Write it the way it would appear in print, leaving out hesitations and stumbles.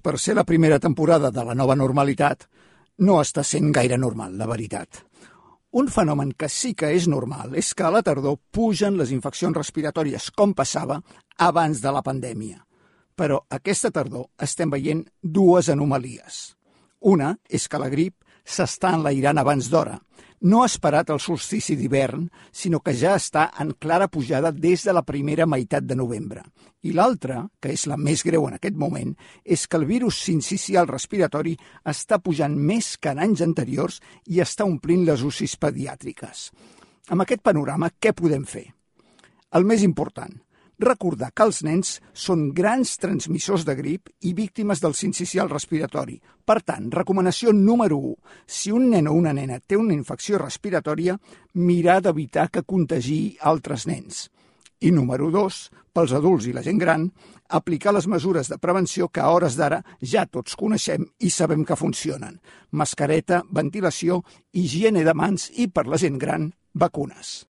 per ser la primera temporada de la nova normalitat, no està sent gaire normal, la veritat. Un fenomen que sí que és normal és que a la tardor pugen les infeccions respiratòries, com passava abans de la pandèmia. Però aquesta tardor estem veient dues anomalies. Una és que la grip s'està enlairant abans d'hora. No ha esperat el solstici d'hivern, sinó que ja està en clara pujada des de la primera meitat de novembre. I l'altra, que és la més greu en aquest moment, és que el virus sincicial respiratori està pujant més que en anys anteriors i està omplint les UCIs pediàtriques. Amb aquest panorama, què podem fer? El més important, recordar que els nens són grans transmissors de grip i víctimes del sincicial respiratori. Per tant, recomanació número 1. Si un nen o una nena té una infecció respiratòria, mirar d'evitar que contagiï altres nens. I número 2, pels adults i la gent gran, aplicar les mesures de prevenció que a hores d'ara ja tots coneixem i sabem que funcionen. Mascareta, ventilació, higiene de mans i, per la gent gran, vacunes.